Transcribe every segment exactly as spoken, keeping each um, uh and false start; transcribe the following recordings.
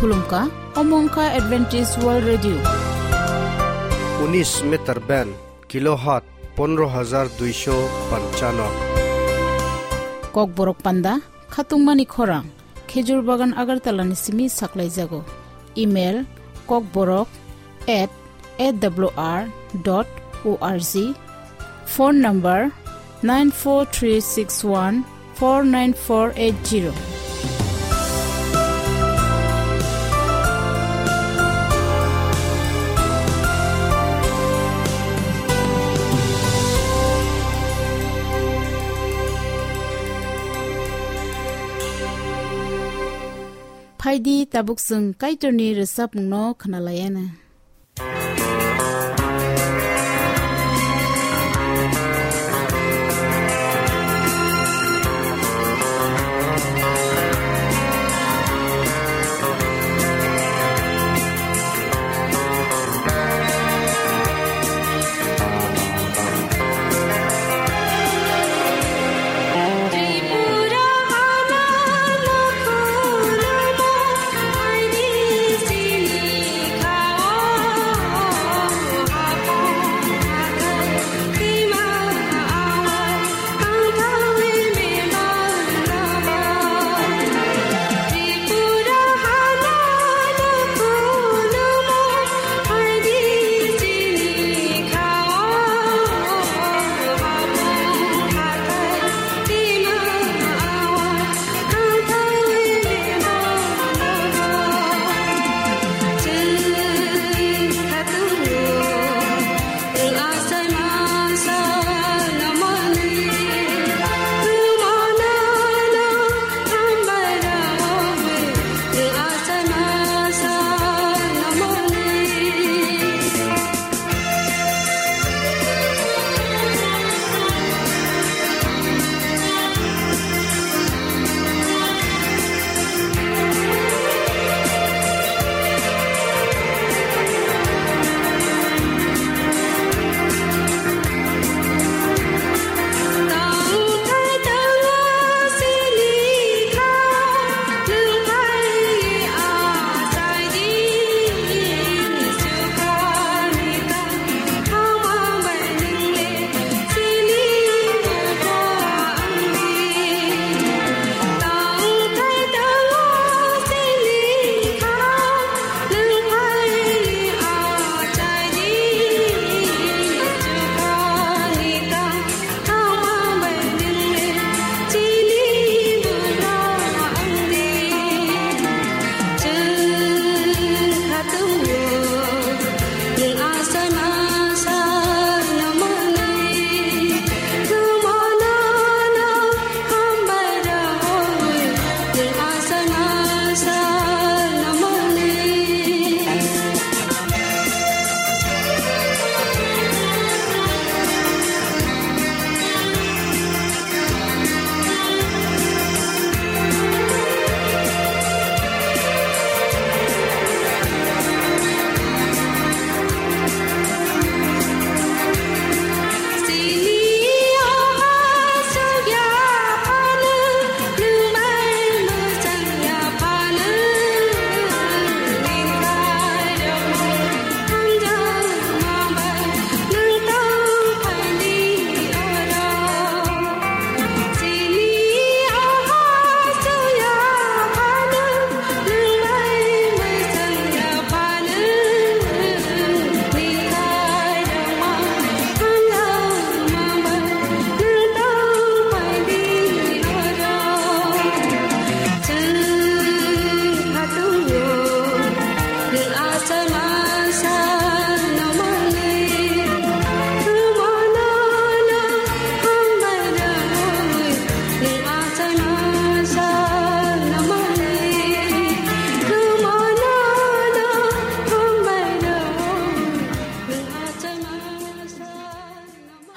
Khulumkha, omo wngkha Adventist World Radio. Unis meter band, kilohertz pondro hajar duisho panchano. Kokborok panda, khatungmani khorang, Khejur Bagan Agartala ni simi saklaijago. Email, kokborok at A W R dot O R G. Phone number nine four three six one four nine four eight zero. Phaidi tabuk chwng Kaitorni rwchapmungno khwnalaiana.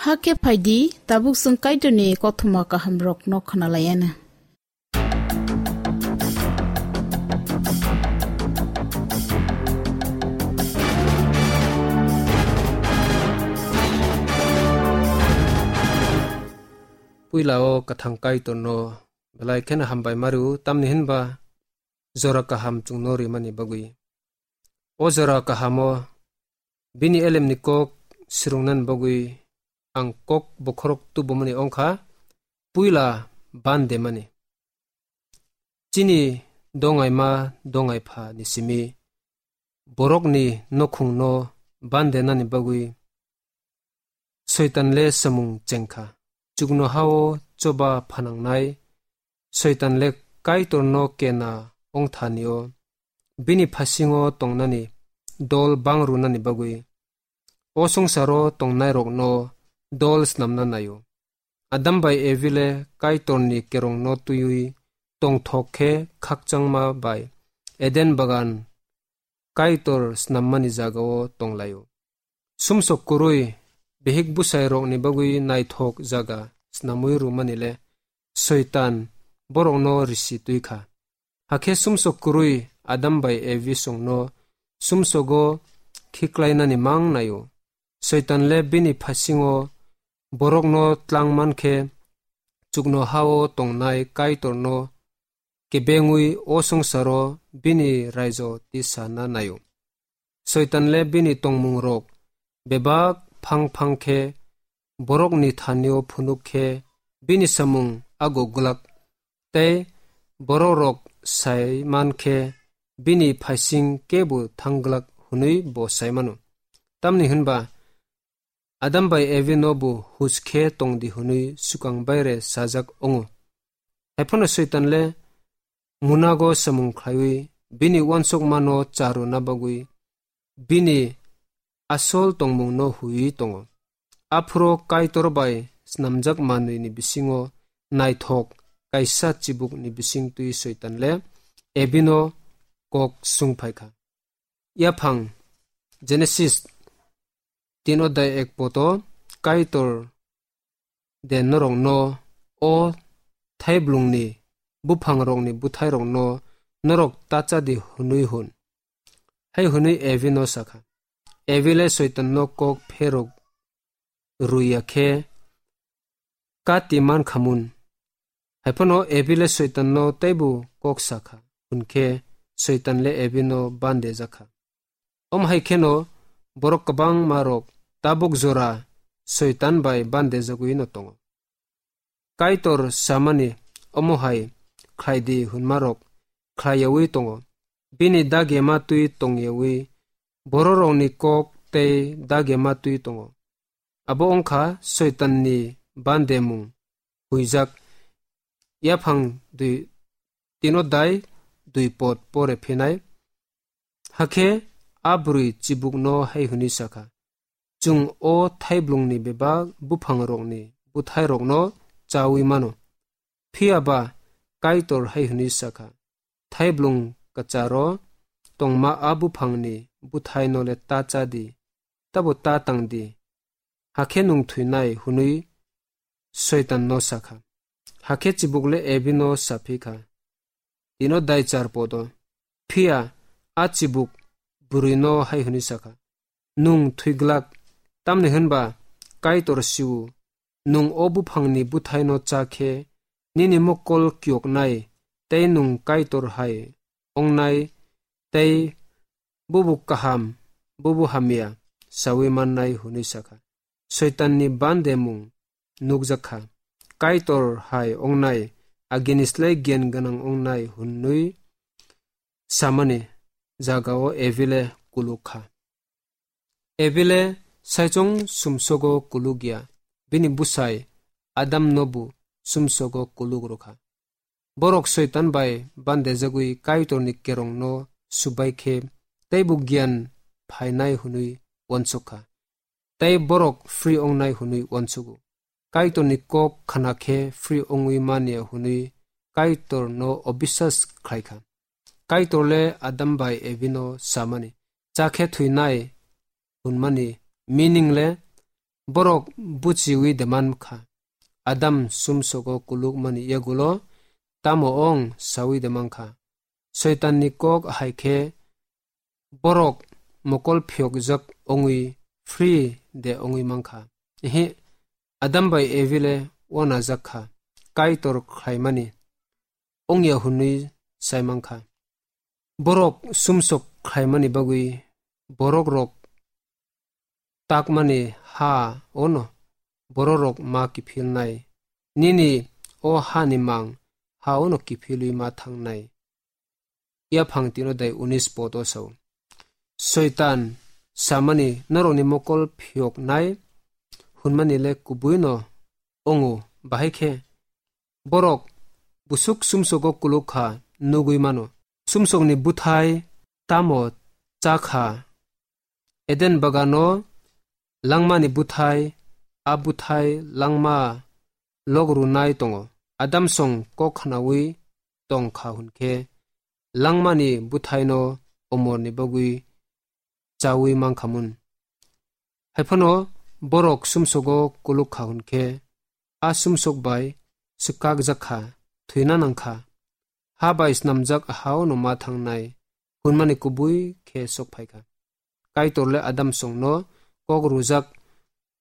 Hakhe phaidi, tabuk chwng Kaitorni kothoma kahamrokno khwnalaiana. Puila o kwthang Kaitorno belai kheno hambai mario, tamni hinba jora kaham chwngno rimani bagwi. O jora kahamo bini elemni kok swrwngnani bagwi ang kok bokhorok tubumani wngkha, puila bandemani. Chini dongaima dongaipha ni simi borokni nokhungno bandenani bagwi Soitan le samung chengkha. Chuknohao choba phanangnai Soitan le Kaitorno kena ongthanio bini phasingo tongnani dol bangrunani bagwi o songsaro tongnairokno dol snamna naio. Adam bai Evi le Kaitorni kerongno twiwi tongthok khe khakchangma bai Eden bagan Kaitor snammani jagao tonglaio. Sumsok kwrwi bihik bwsairokni bagwi naithok jaga snamwi rwmani le Soitan borokno risi twi kha. Hakhe sumsok kwrwi Adam bai Evi songno sumsogo khiklainani mang naio. Soitan le bini phasingo borokno tlang man khe chuknohao tongnai Kaitorno kebengwi o songsaro bini raijo tisana naio. Soitan le bini tongmungrok bebak phang phang khe borokni thanio phunuk khe bini samung ago glak tei borokrok sai man khe bini phaising kebo thangglak hwnwi bo sai mano. Tamni hwnba Adam bai Evi no bo huj khe tongdi hwnwi swkang baire sajak wngo. Haiphano Soitan le munago samung khlaiwi bini uansukmano charwna bagwi bini asol tongmungno huiwi tongo. Aphuru Kaitor bai snamjak manwini bisingo naithok kaisa chibukni bisingtwi Soitan le Evi no kok sung phai kha. Yaphang Genesis tin odai ek poto Kaitor de norokno o thaiblungni buphangrokni bwthairokno norok tacha di hwnwi hwn, hai hwnwi Evi no sakha. Evi le Soitan no kok pherok rwya khe kati man khamun. Haiphano Evi le Soitan no teibo kok sakha, hwnkhe Soitan le Evi no bande jakha. Om hai kheno borok kwbangma rok tabuk jora Soitan bai bande jagwi no tongo. Kaitor samani omo hai khlai di hwnmarok khlai yawi tongo. Bini dagema twi tong yawi, bororokni kok tei dagema twi tongo. Abo wngkha Soitanni bandemung huijak. Yaphang dui, tino dai dui pot pore phinai. Hakhe a bwrwi chibukno hai hwnwi sakha, "Chwng o thaiblungni bebak buphangrokni bwthairokno chawi mano." Phiya ba Kaitor hai hwnwi sakha, "Thaiblung kwcharo tongma a buphangni bwthaino le ta cha di, tabo ta tang di, hakhe nwng thwinai," hwnwi Soitanno sakha. Hakhe chibuk le Evi no saphi kha. Tino dai char podo. Phiya a chibuk bwrwino hai hwnwi sakha, "Nwng thwiglak, tamni hwnba Kaitor siu, nwng o buphangni bwthaino cha khe nini mokol kiyoknai tei nwng Kaitor hai ongnai tei bubu kaham, bubu hamya sawi mannai," hwnwi sakha. Soitanni bandemung nukjak kha. Kaitor hai ongnai, agini slai giyan gwnang ongnai hwnwi samani jagao Evi le kuluk kha. Evi le saichung sumsogo kuluk ya, bini bwsai Adam no bo sumsogo kuluk rwkha. Borok Soitan bai bandejagwi Kaitorni kerongno subai khe teibo giyan phainai hwnwi uansuk kha, tei borok free ongnai hwnwi uansugo. Kaitorni kok khna khe free ongwi manya hwnwi Kaitorno obisas khlai kha. Kaitor le Adam bai Evi no samani, "Cha khe thwinai," hwnmani meaning le borok buchiwi de man kha. Adam sumsogo kulukmani yagulo tamo ong sawi de man kha. Soitanni kok hai khe borok mokol phiyokjak ongwi free de ongwi man kha. Ehe, Adam bai Evi le uanajak kha, Kaitor khlaimani ongya hwnwi sai man kha. Borok sumsok khlaimani bagwi borok rok takmani ha ono bororok ma kiphilnai. Nini o hani mang ha ono kiphilwi ma thangnai. Yaphang tino dai unis poto sao. Soitan samani norokni mokol phiyoknai hunmani le kubui no ongo, bahai khe borok busuk sumsogo kuluk kha nugwi mano. Sumsokni buthai tamo cha kha? Eden bagano langmani buthai, a buthai langma log runai tongo. Adam song kok khnaui tong kha hwn khe langmani buthaino omorni bagwi chaui man kha mun. Hai phano borok sumsogo kuluk kha hwn khe a sumsok bai swkakjak kha, thwina nang kha. Ha bai snamjak ha ono ma thangnai hunmani kubui khe sok phai kha. Kaitor le Adam songno kok rujak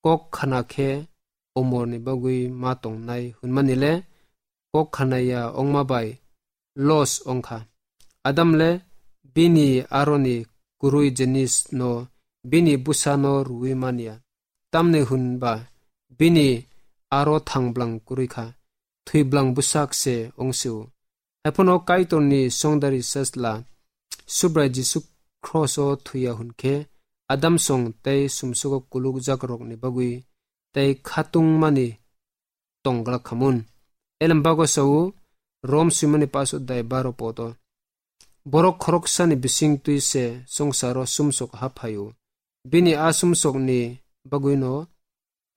kok khna khe omorni bagwi ma tongnai hunmani le kok khnaya ongma bai los ong kha. Adam le bini aroni kwrwi jinis no bini bwsa no rwui man ya. Tamni hwn ba bini aro thang bwlang kwrwi kha, thwi bwlang bwsak se ong sio. Hai phano Kaitorni songdari sasla Subrai Jisu kros o thwi ya hwn khe Adam song tei sumsogo kuluk jak rokni bagwi tei khatung mani tong glak kha mun. Elem bago sao Rom swimani paso dai baro poto. Borok khoroksani bising twi se songsaro sumsok ha phaio. Bini a sumsokni bagwino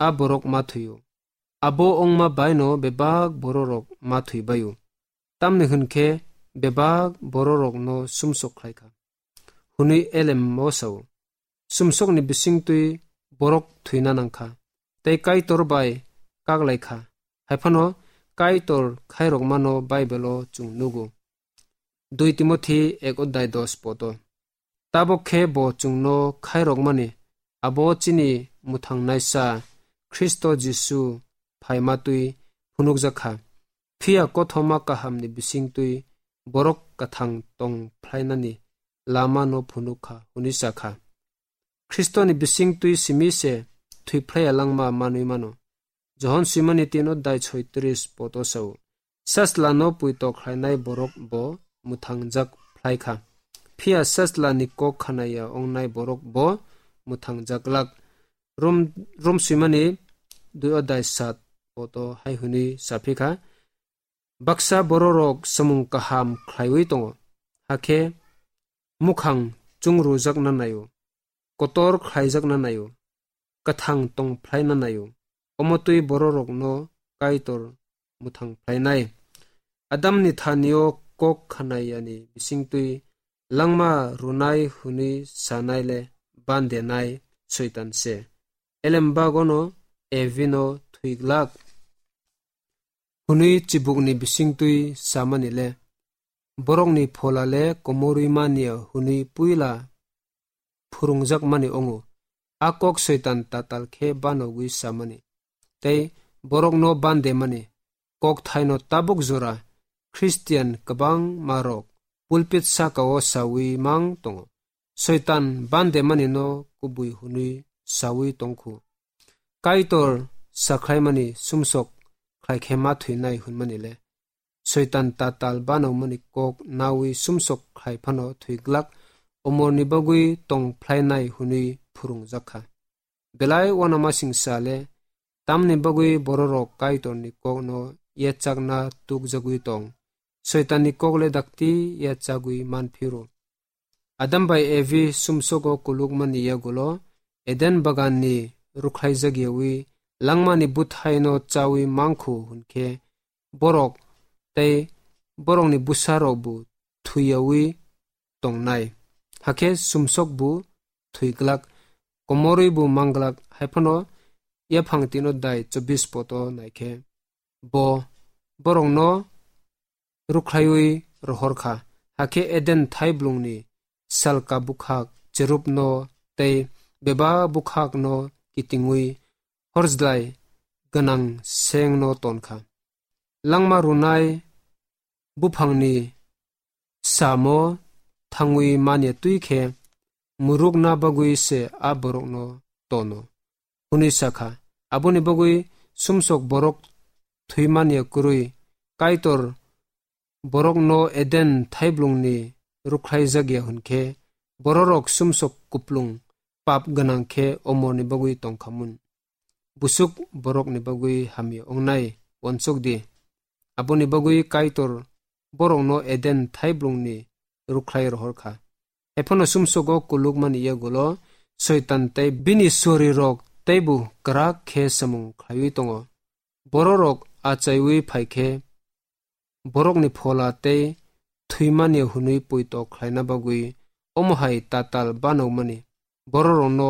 a borok ma thwio. Abo ongma baino bebak bororok ma thwi baio. Tamni hwn khe bebak bororokno sumsok khlai kha. Hwnwi elem mo sao. Sumsokni bising twi borok thwina nang kha. Tei Kaitor bai kaglai kha. Hai phano Kaitor khairokmano Baibelo chwng nugo. Dui Timothi ek odai dos poto. Tabok khe bo chwngno khairokmani abo chini mwthangnaisa Khristo Jisu phaima twi phunukjak kha. Phiya kothoma kahamni bising twi borok kwthang tong phlainani lama no phunuk kha hwnwi sa kha. Khristoni bising twi simi se thwi phlaiya langma manwi mano. Johon swimani tino dai soitris poto sao. Sasla no puito khlainai borok bo mwthangjak phlai kha. Phiya sasla ni kok khanaya ongnai borok bo mwthangjak lak. Rom, Rom swimani dui odai sat poto hai hwnwi saphi kha. Baksa bororok samung kaham khlaiwi tongo, hakhe mukhang chungrujak na naio, kotor khlaijak na naio, kwthang tong phlai na naio, omo twi bororokno Kaitor mwthang phlainai. Adamni thanio kok khanayani bisingtwi langma rwnai hwnwi sanai le bandenai Soitan se. Elem bagono Evino thwi glak hwnwi chibukni bisingtwi samani le, borokni phola le komorwi manya hwnwi puila phwrwngjakmani wngo. A kok Soitan tatal khe banogwi samani tei borokno bandemani kokthaino tabuk jora Khristian kwbangmarok pulpit sakao saui mang tongo. Soitan bandemani no kubui hwnwi saui tongkhu. Kaitor sakhlaimani sumsok khlaikhe ma thwinai hwnmani le. Soitan tatal banokmani kok naui sumsok khlai phano thwi glak, omorni bagwi tong phlainai hwnwi phwrwngjak kha. Belai uanamasingcha le, tamni bagwi bororok Kaitorni kokno yachakna tukjagwi tong? Soitanni kok le dakti yachagwi man phiro? Adam bai Evi sumsogo kulukmani yagulo Eden baganni rukhlaijak yaui langmani bwthaino chaui mangkhu hwnkhe, borok tei borokni bwsarokbo thwiyaui tongnai, hakhe sumsokbo thwi glak, komorwibo mang glak. Hai phano yaphang tino dai chobbish poto naikhe, bo borokno rukhlaiwi rohor kha, hakhe Eden thaiblungni salka bwkhak cherubno tei bebak bwkhakno kitingwi horjlai gwnang sengno ton kha. Langma rwnai buphangni samo thangwi manya twi khe murukna bagwi se a borokno tono, hwnwi sa kha. Aboni bagwi sumsok borok thwimanya kwrwi Kaitor borokno Eden thaiblongni rwkhlaijak ya hwn khe, bororok sumsok kuplung pap gwnang khe omorni bagwi tong kha mun. Busuk borokni bagwi hamya wngnai uansuk di. Aboni bagwi Kaitor borokno Eden thaiblongni rwkhlai rohor kha. Ephano sumsogo kulukmani yagulo Soitan tei bini suarirok teibo kwrak khe samung khlaiwi tongo. Bororok achaiwi phai khe borokni phola tei thwimani hwnwi poito khlaina bagwi omo hai tatal banokmani bororokno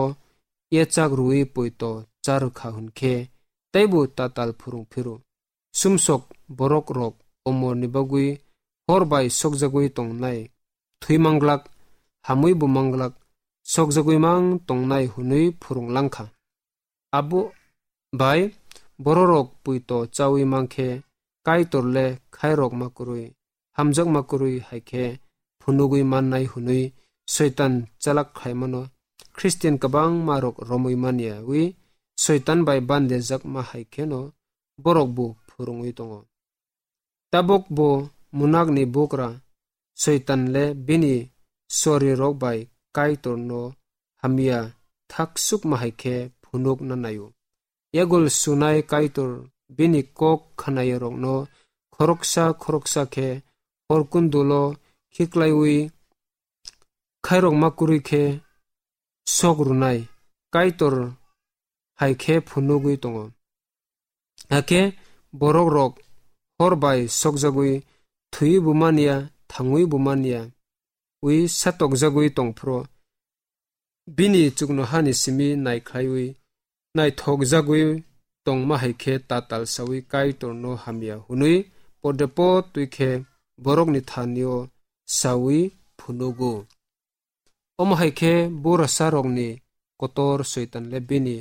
yachak rwui poito cha rwkha hwn khe teibo tatal phwrwng phiru. Sumsok borokrok omorni bagwi hor bai sokjagwi tongnai, thwi manglak, hamwi bo manglak, sokjagwi mang tongnai hwnwi phwrwng lang kha. Abo bai bororok poito chaui mang khe Kaitor le khairok ma kwrwi, hamjakma kwrwi hai khe phunugwi mannai hwnwi Soitan chalak khlaimano Khristian kwbangma rok romwi man yaui Soitan bai bandejakma hai kheno borok bo phwrwngwi tongo. Tabuk bo munakni bugra Soitan le bini sorirok bai Kaitorno hamya thaksukma hai khe phunukna naio. Yagul sunai Kaitor bini kok khnaiyarokno khoroksa khoroksa khe horkundulo khiklaiwi khairokma kwrwi khe sok rwnai Kaitor hai khe phunugwi tongo. Hakhe borokrok hor bai sokjagwi thwiwi bo manya, thangwi bo manya, wi satokjagwi tongphuru bini chuknohani simi naikhlaiwi naithokjagwi tongma hai khe tatal saui Kaitorno hamya hwnwi pode po twi khe borokni thanio saui phunugo. Omo hai khe burasarokni kotor Soitan le bini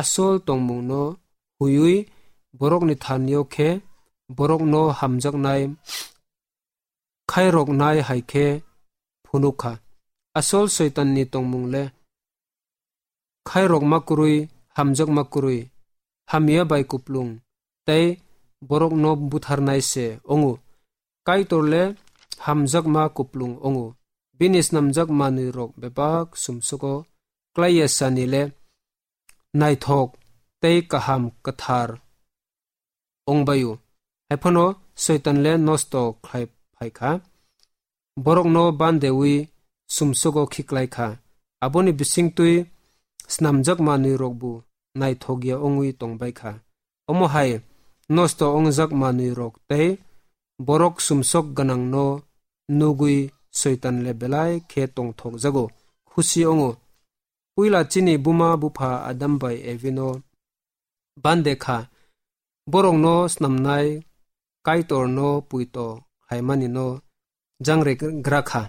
asol tongmungno huiwi borokni thanio khe borokno hamjaknai khairoknai hai khe phunuk kha. Asol Soitanni tongmung le khairokma kwrwi, hamjakma kwrwi, hamya bai kuplung tei borokno butharnai se wngo. Kaitor le hamjakma kuplung wngo. Bini snamjak manwirok bebak sumsogo klai ya sani le naithok tei kaham kwthar wng bai-o. Hai phano Soitan le nosto khlai phai kha. Borokno bandewi sumsogo khiklai kha. Aboni bisingtwi snamjak manwirokbo naithok ya wngwi tong bai kha. Omo hai nosto wngjak manwirok tei borok sumsok gwnangno nugwi Soitan le belai khe tongthokjago, khusi wngo. Puila chini buma bupha Adam bai Evino bande kha, borokno snamnai Kaitorno puito khlaimani no jangre gra kha.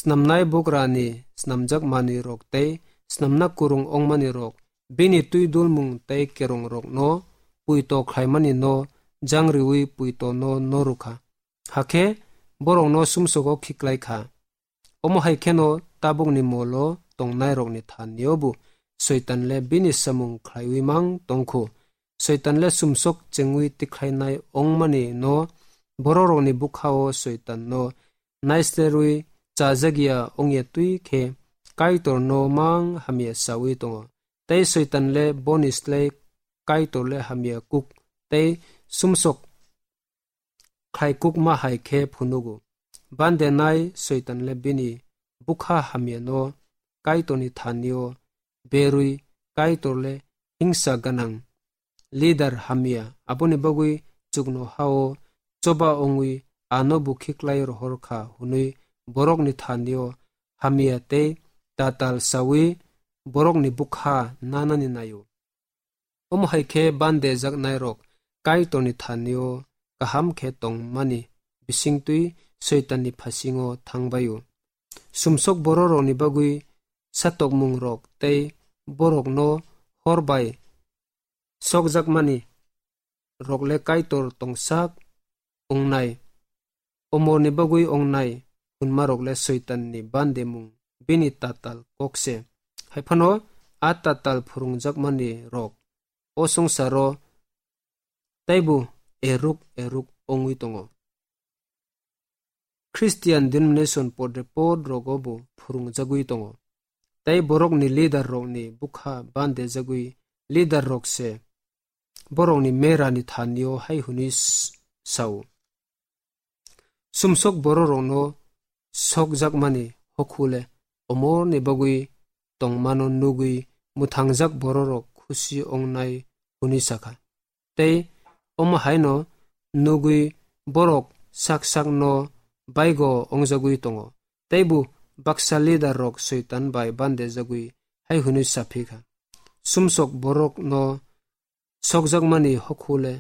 Snamnai bugrani snamjak manwirok tei snamna kwrwng wngmani rok bini twi dulmung tei kerong rokno puito khlaimani no jangriwi puito no norwkha. Hakhe borokno sumsogo khiklai kha. Omo hai kheno tabukni molo tongnairokni thanio bo Soitan le bini samung khlaiwi mang tongkhu. Soitan le sumsok chengwi tikhlainai ongmani no bororokni bwkhao Soitan no naisterwi chajak ya ongya twi khe Kaitor no mang hamya sawi tongo. Tei Soitan le boni slai Kaitor le hamya kuk tei sumsok khlaikukma hai khe phunugo. Bandenai Soitan le bini bwkha hamyano Kaitorni thanio berwi Kaitor le hingsa gwnang leader hamya, aboni bagwi chuknohao choba wngwi ano bo khiklai rohor kha hwnwi borokni thanio hamya tei tatal sawi borokni bwkha nanani naio. Omo hai khe bandejaknairok Kaitorni thanio kaham khe tongmani bisingtwi Soitanni phasingo thangbaio. Sumsok bororokni bagwi satokmungrok tei borokno hor bai sokjakmani rok le Kaitor tongsak wngnai, omorni bagwi wngnai, hwnmarok le Soitanni bandemung, bini tatal kok se. Hai phano a tatal phwrwngjakmani rok o swngcharo teibo eruk eruk wngwi tongo. Christian denomination podre pod rogo bo phwrwngjagwi tongo. Tei borokni leader rokni bwkha bandejagwi leader rok se borokni merani thanio hai hwnwi s-, sao. Sumsok bororokno sokjakmani hokhule omorni bagwi tongmano nugwi mwthangjak bororok khusi ongnai hwnwi sakha. Tei omo haino nugwi borok sak sakno baigo ongjagwi tongo. Teibo baksa leader rok Soitan bai bandejagwi hai hwnwi saphi kha, sumsok borokno sokjakmani hokhule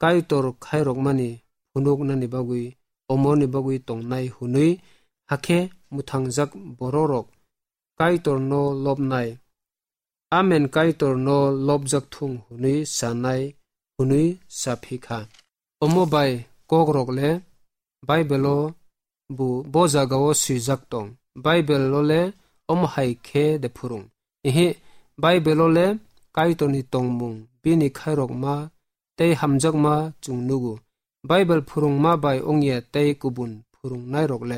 Kaitor khairokmani phunuknani bagwi omorni bagwi tongnai hwnwi, hakhe mwthangjak bororok Kaitorno lobnai, amen Kaitorno lobjak thung hwnwi sanai hwnwi saphi kha. Omo bai kokrok le Bible-o bo, bo jagao swijak tong. Bible-o le omo hai khe de phwrwng. Ihi, Bible-o le Kaitorni tongmung, bini khairokma tei hamjakma chwng nugo. Bible phwrwngma bai wngya tei kubun phwrwngnairok le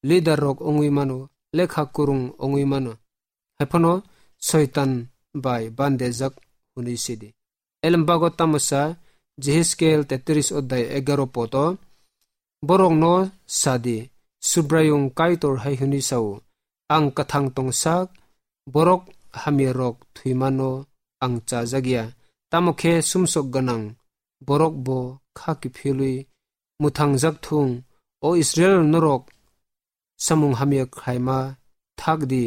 leader rok wngwi mano, lekha kwrwng wngwi mano. Hai phano Soitan bai bandejak hwnwi sidi. Elembago tamo sa, Jehezkiel tetris odai egaro poto, borokno sadi, Subraiyung Kaitor hai hwnwi sao, "Ang kwthang tongsak, borok hamyarok thwimano ang chajakya, tamo khe sumsok gwnang borok bo kha kiphilwi mwthangjak thung, o Israil norok samung hamya khlaima thak di,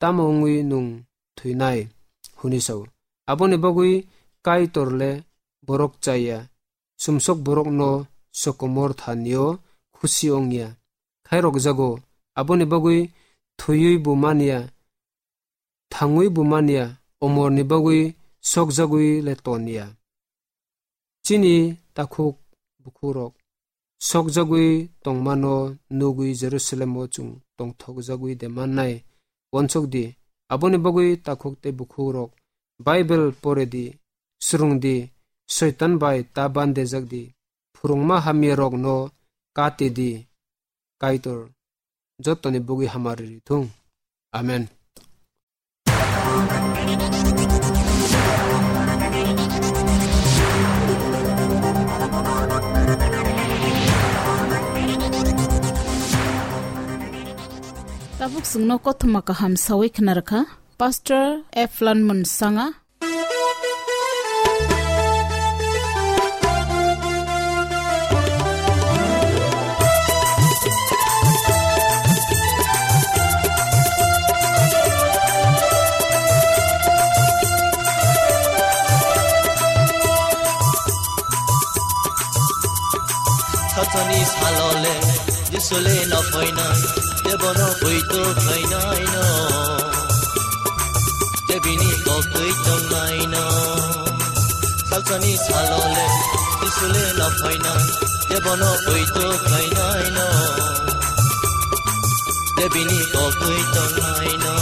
tamo wngwi nwng thwinai?" hwnwi sao. Aboni bagwi Kaitor le borok chaya, sumsok borokno sokomor thanio khusi wngya. Khairokjago, aboni bagwi thwiwi bo manya, thangwi bo manya, omorni bagwi sokjagwi le tonya. Chini takhuk bukhukrok sokjagwi tongmano nugwi Jerusalemo chwng tongthokjagwi de mannai? Uansuk di, aboni bagwi takhuk tei bukhukrok Bible pore di, swrwng di, Soitan bai ta bandejak di, phwrwngma hamyarokno kati di. Kaitor jotoni bugwi hamari rithung. Amen. Tabuk chwngno kothoma kaham sawi khna rwkha Pastor Eflan Mwnsanga. Satsani salole, Jisule no phainai, jebono buitu khainai no. Jebini koktwi tongnai no. Salsani salole, Jisule no phainai, jebono buitu khainai no. Jebini koktwi tongnai no.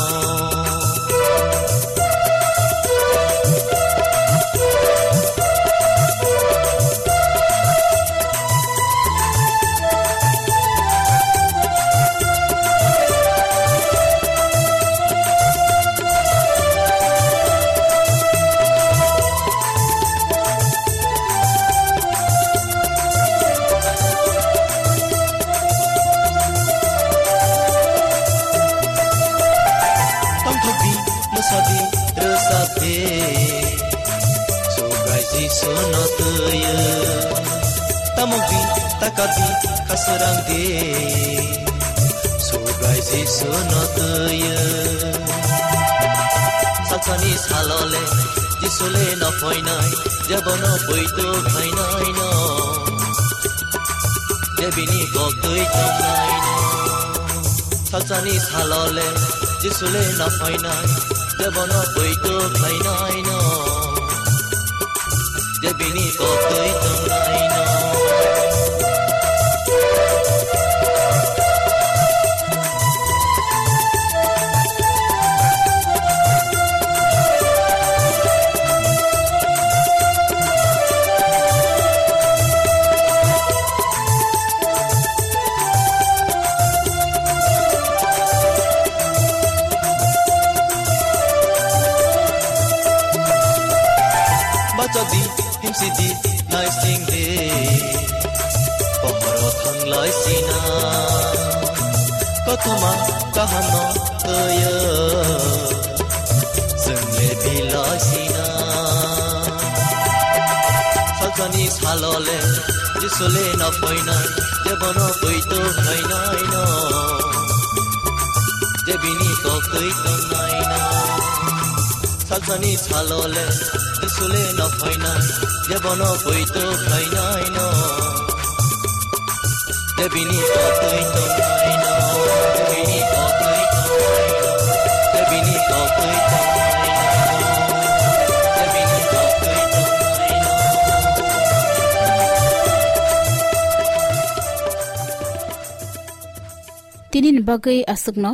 Tongthokdi, mwsadi, rwsapdi, Subrai Jisu no twiwi. Tamokdi, takadi, kasarangdi, Subrai Jisu no twiwi. Salsani salole, Jisule no phainai, jebono buitu khainai no. Jebini koktwi tongnai no. Salsani salole, Jisule no phainai, jebono buitu khainai no. Jebini koktwi tongnai no. Di, himsi di, lai sing di. Pohoro thang lai sina. Kothoma kaham no toyo. Sung le bi lai sina. Salsani salole, Jisule no phoina. Jebono pui to khainai no. Jebini kok tui tongnai no. Salsani salole, Jisule no phoina, jebono poito khainai no. Jebini kok tui tongnai no, jebini kok tui tongnai no, jebini kok tui tongnai no, jebini kok tui tongnai no. Tini ni bagwi aswkno,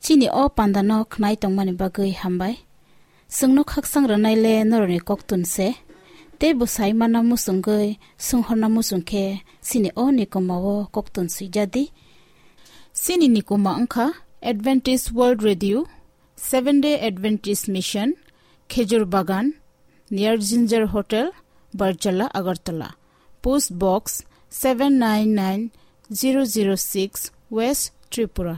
chini o panda no khnai tongmani bagwi hambai. Chwngno khakchang rwnai le norokni koktun se, tei bwsai mana muchungwi swnghorna muchung khe chini o nikoma o koktun swijadi. Chini nikoma wngkha Adventist World Radio, Seventh Day Adventist Mission, Khejur Bagan, near Ginger Hotel, Barchala, Agartala. Post Box seven nine nine zero zero six, West Tripura.